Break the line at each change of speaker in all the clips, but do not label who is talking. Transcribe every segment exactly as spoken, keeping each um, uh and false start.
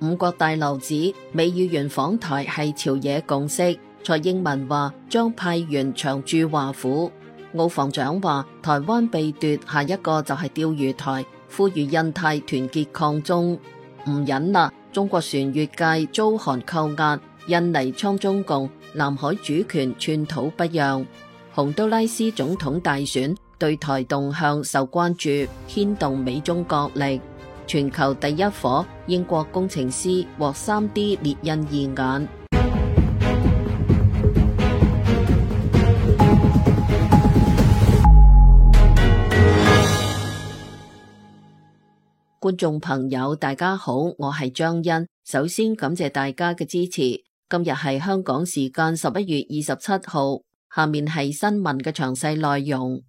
五國大樓指美議員訪台係朝野共識，蔡英文話將派員長駐華府。澳防長話台灣被奪，下一個就係釣魚台，呼籲印太團結抗中。唔忍啦，中國船越界遭韓扣押，印尼倉中共，南海主權寸土不讓。洪都拉斯總統大選對台動向受關注，牽動美中角力。全球第一夥英國工程師獲 三 D 列印義眼。觀眾朋友大家好，我係張欣，首先感謝大家嘅支持。今日係香港時間十一月二十七號，下面係新聞嘅詳細內容。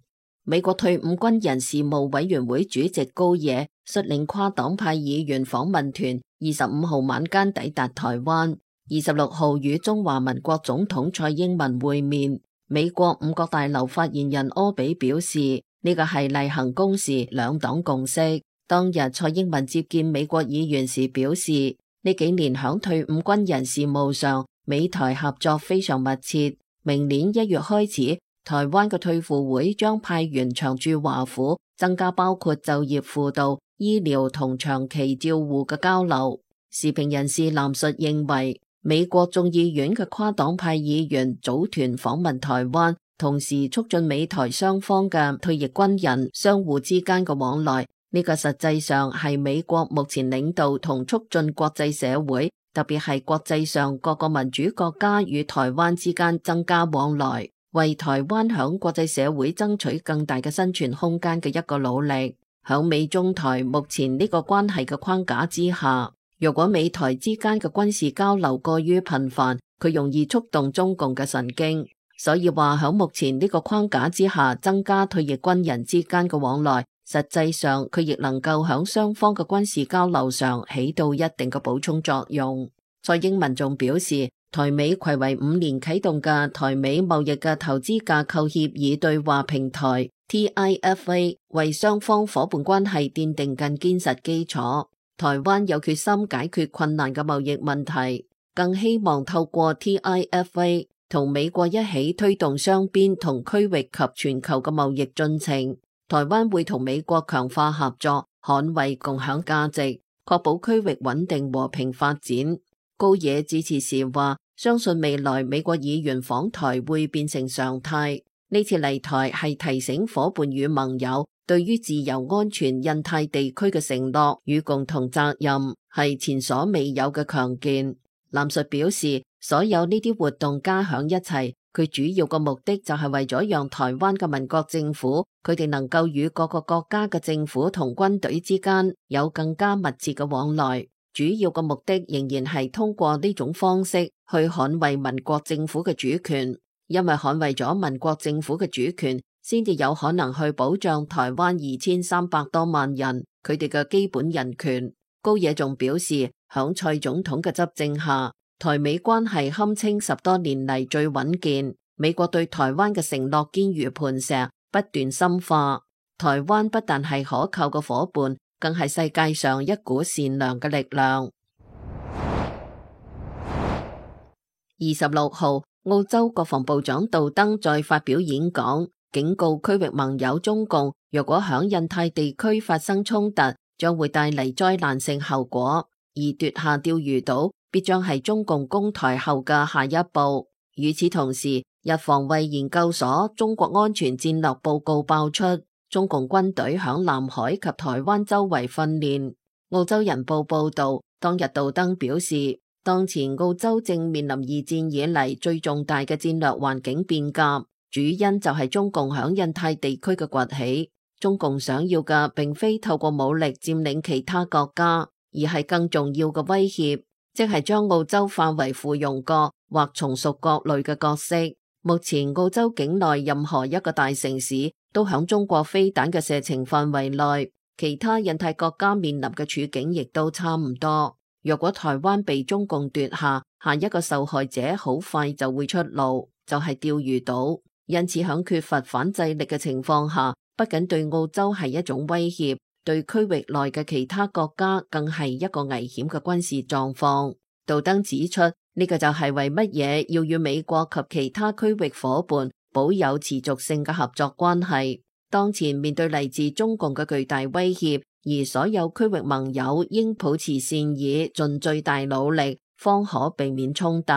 美國退伍軍人事務委員會主席高野率領跨黨派議員訪問團二十五號晚間抵達台灣，二十六號與中華民國總統蔡英文會面。美國五角大樓發言人柯比表示，呢個係例行公事，兩黨共識。當日蔡英文接見美國議員時表示，呢幾年響退伍軍人事務上，美台合作非常密切。明年一月開始，台灣嘅退輔會將派員長駐華府，增加包括就業輔導、醫療同長期照護嘅交流。時評人士藍述認為，美國眾議院嘅跨黨派議員組團訪問台灣，同時促進美台雙方嘅退役軍人相互之間嘅往來，呢個實際上係美國目前領導同促進國際社會，特別係國際上各個民主國家與台灣之間增加往來，為台灣響國際社會爭取更大嘅生存空間嘅一個努力。響美中台目前呢個關係嘅框架之下，如果美台之間嘅軍事交流過於頻繁，佢容易觸動中共嘅神經。所以話響目前呢個框架之下，增加退役軍人之間嘅往來，實際上佢亦能夠響雙方嘅軍事交流上起到一定嘅補充作用。蔡英文仲表示，台美睽違五年啟動嘅台美貿易嘅投資架構協議對話平台 T I F A 為雙方夥伴關係奠定更堅實基礎。台灣有決心解決困難嘅貿易問題，更希望透過 T I F A 同美國一起推動雙邊同區域及全球嘅貿易進程。台灣會同美國強化合作，捍衛共享價值，確保區域穩定和平發展。高野致辭時話，相信未來美國議員訪台會變成常態。呢次嚟台係提醒夥伴與盟友對於自由安全印太地區嘅承諾與共同責任，係前所未有嘅強健。藍述表示，所有呢啲活動加響一齊，佢主要嘅目的就係為咗讓台灣嘅民國政府，佢哋能夠與各個國家嘅政府同軍隊之間有更加密切嘅往來。主要嘅目的仍然係通過呢種方式去捍衛民國政府嘅主權，因為捍衛咗民國政府嘅主權，先至有可能去保障台灣二千三百多萬人佢哋嘅基本人權。高野仲表示，響蔡總統嘅執政下，台美關係堪稱十多年嚟最穩健。美國對台灣嘅承諾堅如磐石，不斷深化。台灣不但係可靠嘅夥伴，更係世界上一股善良嘅力量。二十六號，澳洲國防部長杜登再發表演講，警告區域盟友中共，若果響印太地區發生衝突，將會帶嚟災難性後果，而奪下釣魚島必將係中共攻台後嘅下一步。與此同時，日防衛研究所中國安全戰略報告爆出，中共軍隊響南海及台灣周圍訓練。澳洲人報報道，當日杜登表示，當前澳洲正面臨二戰以嚟最重大嘅戰略環境變革，主因就係中共響印太地區嘅崛起。中共想要嘅並非透過武力佔領其他國家，而係更重要嘅威脅，即係將澳洲化為附庸國或從屬國類嘅角色。目前澳洲境內任何一個大城市都響中國飛彈嘅射程範圍內，其他印太國家面臨嘅處境亦都差唔多。若果台灣被中共奪下，下一個受害者好快就會出爐，就係釣魚島。因此響缺乏反制力嘅情況下，不僅對澳洲係一種威脅，對區域內嘅其他國家更係一個危險嘅軍事狀況。杜登指出，呢個就係為乜嘢要與美國及其他區域夥伴保有持續性嘅合作關係。當前面對嚟自中共嘅巨大威脅，而所有區域盟友應保持善意，盡最大努力，方可避免衝突。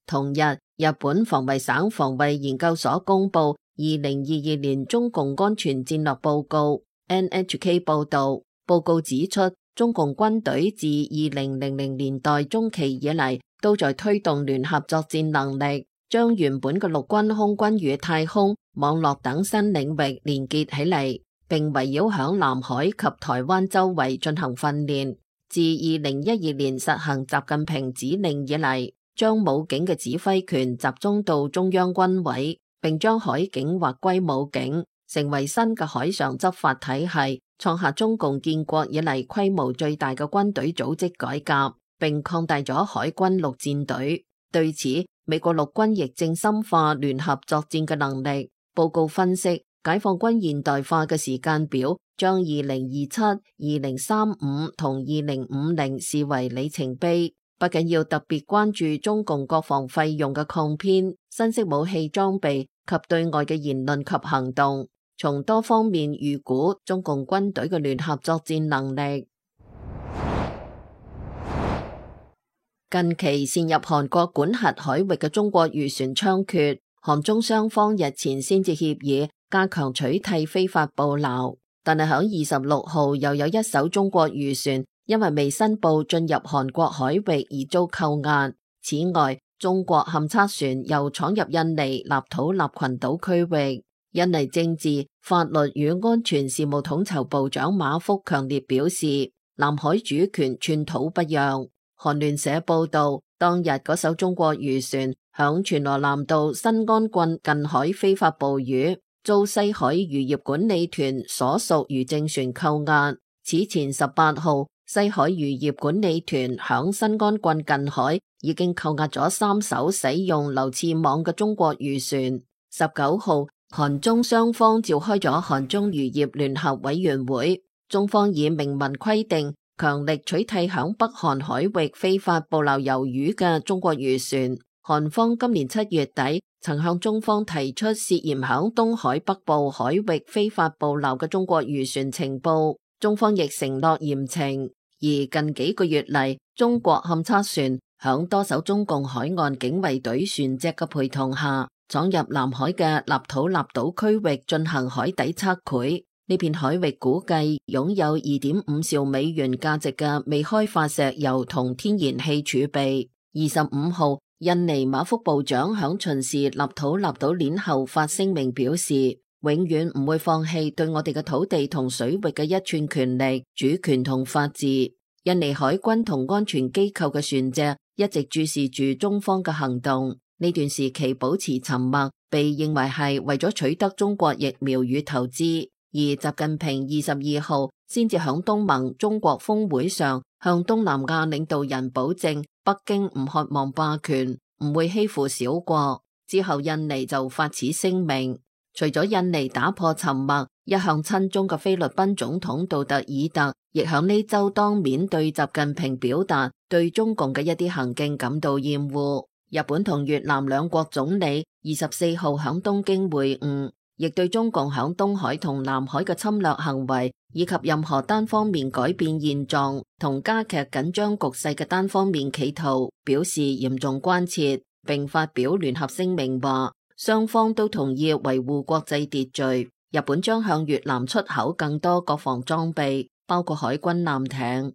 同日，日本防衛省防衛研究所公布二零二二年中共安全戰略報告 N H K 報道，報告指出，中共軍隊自二零零零年代中期以嚟，都在推動聯合作戰能力，將原本嘅陸軍、空軍與太空、網絡等新領域連結起嚟，並圍繞響南海及台灣周圍進行訓練。自二零一二年實行習近平指令以嚟，將武警嘅指揮權集中到中央軍委，並將海警劃歸武警，成為新嘅海上執法體系，創下中共建國以嚟規模最大嘅軍隊組織改革，並擴大咗海軍陸戰隊。對此，美國陸軍亦正深化聯合作戰嘅能力。報告分析，解放軍現代化嘅時間表將二零二七、二零三五同二零五零視為里程碑，不僅要特別關注中共國防費用嘅擴編、新式武器裝備及對外嘅言論及行動，從多方面預估中共軍隊嘅聯合作戰能力。近期擅入韓國管轄海域嘅中國漁船猖獗，韓中雙方日前先至協議加強取締非法捕撈，但係響二十六號又有一艘中國漁船因為未申報進入韓國海域而遭扣押。此外，中國勘測船又闖入印尼立土納群島區域。印尼政治、法律與安全事務統籌部長馬福強烈表示，南海主權寸土不讓。韓聯社報道，當日嗰艘中國漁船響全羅南道新安郡近海非法捕魚，遭西海漁業管理團所屬漁政船扣押。此前十八號，西海漁業管理團響新安郡近海已經扣押咗三艘使用流刺網嘅中國漁船。十九號，韓中雙方召開咗韓中漁業聯合委員會，中方以明文規定，強力取締響北韓海域非法捕撈魷魚嘅中國漁船。韓方今年七月底曾向中方提出涉嫌響東海北部海域非法捕撈嘅中國漁船情報，中方亦承諾嚴懲。而近幾個月嚟，中國勘測船響多艘中共海岸警衛隊船隻嘅陪同下，闖入南海嘅立土納島區域進行海底測繪。呢片海域估計擁有二點五兆美元價值嘅未開發石油同天然氣儲備。二十五號，印尼馬福部長響巡視立土納島鏈後發聲明表示，永遠唔會放棄對我哋嘅土地同水域嘅一寸權利、主權同法治。印尼海軍同安全機構嘅船隻一直注視住中方嘅行動，呢段時期保持沉默，被認為係為咗取得中國疫苗與投資。而習近平二十二號先至響東盟中國峰會上向東南亞領導人保證，北京唔渴望霸權，唔會欺負小國。之後印尼就發此聲明。除咗印尼打破沉默，一向親中嘅菲律賓總統杜特爾特亦響呢周當面對習近平表達對中共嘅一啲行徑感到厭惡。日本同越南兩國總理二十四號響東京會晤，亦對中共響東海同南海嘅侵略行為，以及任何單方面改變現狀同加劇緊張局勢嘅單方面企圖，表示嚴重關切，並發表聯合聲明話，雙方都同意維護國際秩序。日本將向越南出口更多國防裝備，包括海軍艦艇。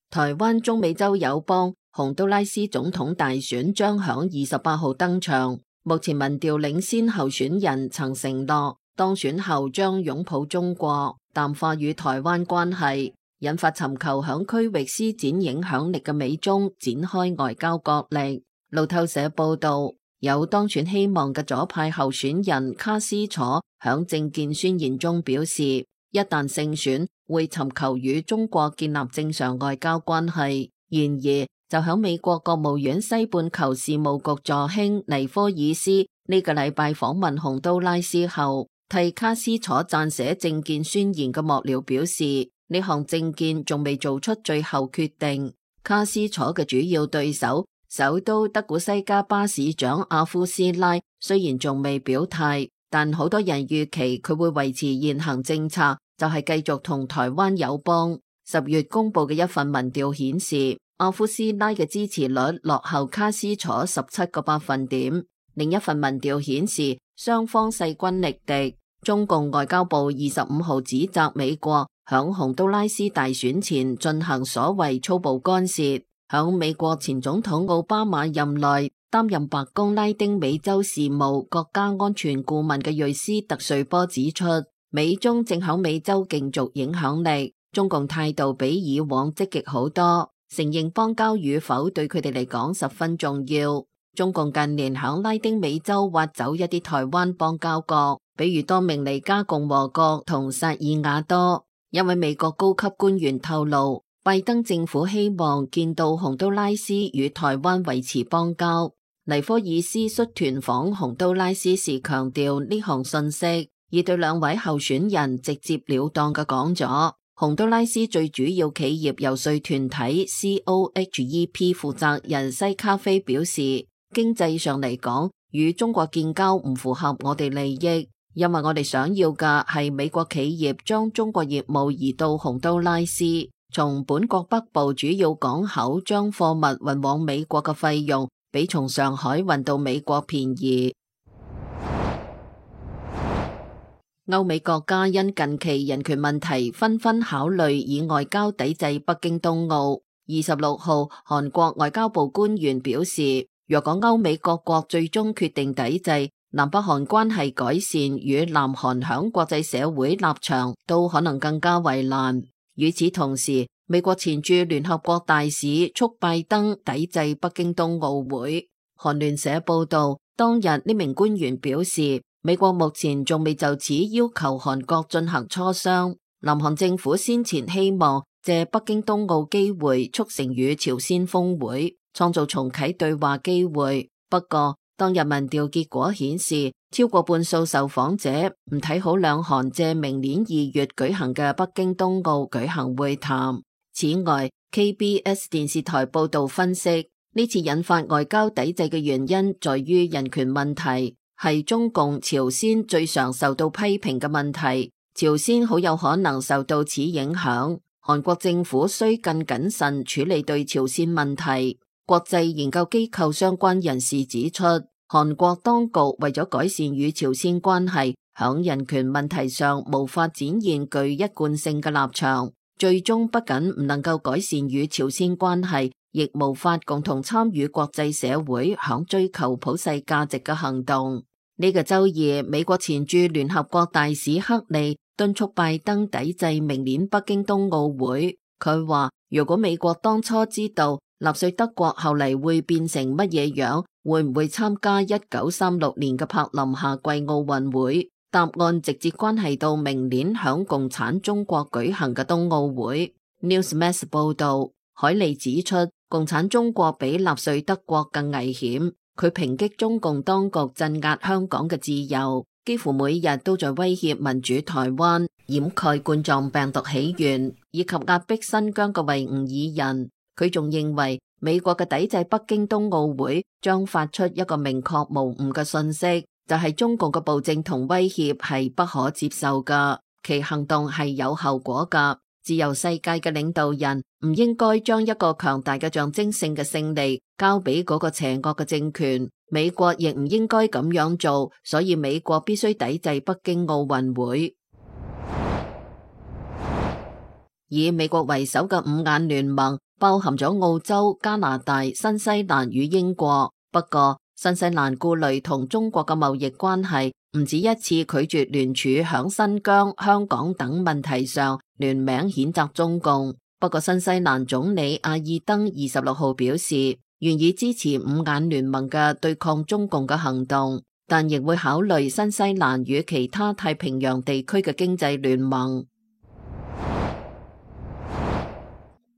台灣中美洲友邦洪都拉斯總統大選將響二十八號登場。目前民調領先候選人曾承諾當選後將擁抱中國，淡化與台灣關係，引發尋求響區域施展影響力嘅美中展開外交角力。路透社報道，有當選希望嘅左派候選人卡斯楚響政見宣言中表示，一旦勝選會尋求與中國建立正常外交關係。然而，就響美國國務院西半球事務局助卿尼科爾斯呢個禮拜訪問洪都拉斯後，替卡斯楚撰寫政見宣言嘅幕僚表示，呢項政見仲未做出最後決定。卡斯楚嘅主要對手，首都德古西加巴市長阿夫斯拉雖然仲未表態，但好多人預期佢會維持現行政策，就係繼續同台灣友邦。十月公布嘅一份民調顯示，阿夫斯拉嘅支持率落後卡斯楚十七個百分點。另一份民調顯示，雙方勢均力敵。中共外交部二十五號指責美國響洪都拉斯大選前進行所謂粗暴干涉。響美國前總統奧巴馬任內擔任白宮拉丁美洲事務國家安全顧問嘅瑞斯特瑞波指出，美中正響美洲競逐影響力。中共態度比以往積極好多，承認邦交與否對佢哋嚟講十分重要。中共近年響拉丁美洲挖走一啲台灣邦交國，比如多明尼加共和國同薩爾瓦多。一位美國高級官員透露，拜登政府希望見到洪都拉斯與台灣維持邦交。尼科爾斯率團訪洪都拉斯時強調呢項信息，而對兩位候選人直接了當嘅講咗。洪都拉斯最主要企業遊說團體 C O H E P 負責人西卡菲表示，經濟上嚟講，與中國建交唔符合我哋利益，因為我哋想要嘅係美國企業將中國業務移到洪都拉斯，從本國北部主要港口將貨物運往美國嘅費用，比從上海運到美國便宜。歐美國家因近期人權問題紛紛考慮以外交抵制北京冬奧。二十六號，韓國外交部官員表示，若果歐美各國最終決定抵制，南北韓關係改善與南韓響國際社會立場都可能更加為難。與此同時，美國前駐聯合國大使促拜登抵制北京冬奧會。韓聯社報道，當日呢名官員表示，美國目前仲未就此要求韓國進行磋商。南韓政府先前希望借北京冬奧機會促成與朝鮮峰會，創造重啟對話機會。不過，當日民調結果顯示，超過半數受訪者唔睇好兩韓借明年二月舉行嘅北京冬奧舉行會談。此外， K B S 電視台報道分析，呢次引發外交抵制嘅原因在於人權問題。係中共朝鮮最常受到批評嘅問題，朝鮮好有可能受到此影響。韓國政府需更謹慎處理對朝鮮問題。國際研究機構相關人士指出，韓國當局為咗改善與朝鮮關係，響人權問題上無法展現具一貫性嘅立場，最終不僅唔能夠改善與朝鮮關係，亦無法共同參與國際社會響追求普世價值嘅行動。呢個周二，美國前駐聯合國大使克利敦促拜登抵制明年北京冬奧會。佢話，如果美國當初知道納粹德國後嚟會變成乜嘢樣，會唔會參加一九三六年嘅柏林夏季奧運會？答案直接關係到明年響共產中國舉行嘅冬奧會。Newsmax 報道，海利指出，共產中國比納粹德國更危險。佢抨擊中共當局鎮壓香港嘅自由，幾乎每日都在威脅民主台灣，掩蓋冠狀病毒起源，以及壓迫新疆嘅維吾爾人。佢仲認為美國嘅抵制北京冬奧會將發出一個明確無誤嘅信息，就係中共嘅暴政同威脅係不可接受㗎，其行動係有後果㗎。自由世界嘅領導人唔應該將一個強大嘅象徵性嘅勝利交俾嗰個邪惡嘅政權，美國亦唔應該咁樣做，所以美國必須抵制北京奧運會。以美國為首嘅五眼聯盟包含咗澳洲、加拿大、新西蘭與英國，不過新西蘭顧慮同中國嘅貿易關係，唔止一次拒絕聯署響新疆、香港等問題上聯名譴責中共。不過新西蘭總理阿爾登二十六號表示，願意支持五眼聯盟嘅對抗中共嘅行動，但亦會考慮新西蘭與其他太平洋地區嘅經濟聯盟。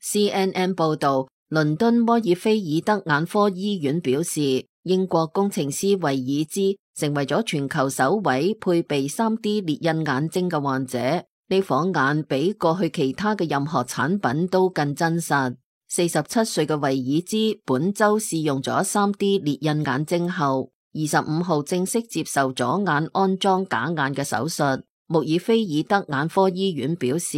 C N N 報道，倫敦摩爾菲爾德眼科醫院表示，英國工程師維爾茲成為咗全球首位配備 三 D 列印眼睛嘅患者。呢顆眼比過去其他嘅任何產品都更真實。四十七歲嘅維爾茲本周試用咗 三 D 列印眼睛後，二十五號正式接受左眼安裝假眼嘅手術。穆爾菲爾德眼科醫院表示，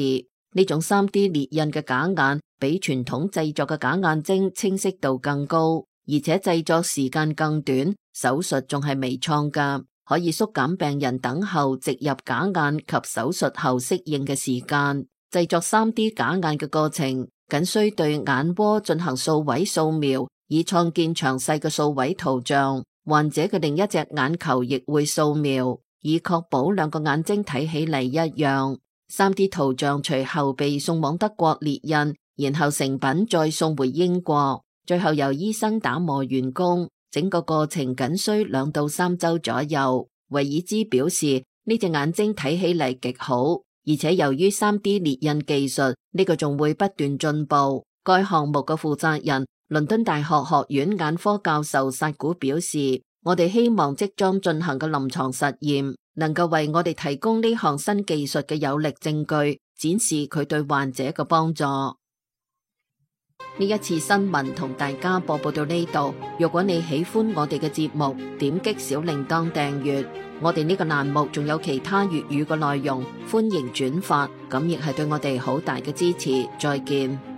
呢種 三 D 列印嘅假眼比傳統製作嘅假眼睛清晰度更高，而且製作時間更短，手術仲係微創㗎，可以縮減病人等候植入假眼及手術後適應嘅時間。製作 三 D 假眼嘅過程僅需對眼窩進行數位掃描，以創建詳細嘅數位圖像。患者嘅另一隻眼球亦會掃描，以確保兩個眼睛睇起嚟一樣。三 D 圖像隨後被送往德國列印，然後成品再送回英國，最後由醫生打磨完工。整個過程僅需兩到三周左右。維爾茲表示，呢隻眼睛睇起嚟極好，而且由於 三 D 列印技術，呢個仲會不斷進步。該項目嘅負責人，倫敦大學學院眼科教授薩古表示，我哋希望即將進行嘅臨床實驗能夠為我哋提供呢項新技術嘅有力證據，展示佢對患者嘅幫助。呢一次新聞同大家播報到呢度。如果你喜歡我哋嘅節目，點擊小鈴鐺訂閱。我哋呢個欄目仲有其他粵語嘅內容，歡迎轉發，咁亦係對我哋好大嘅支持。再見。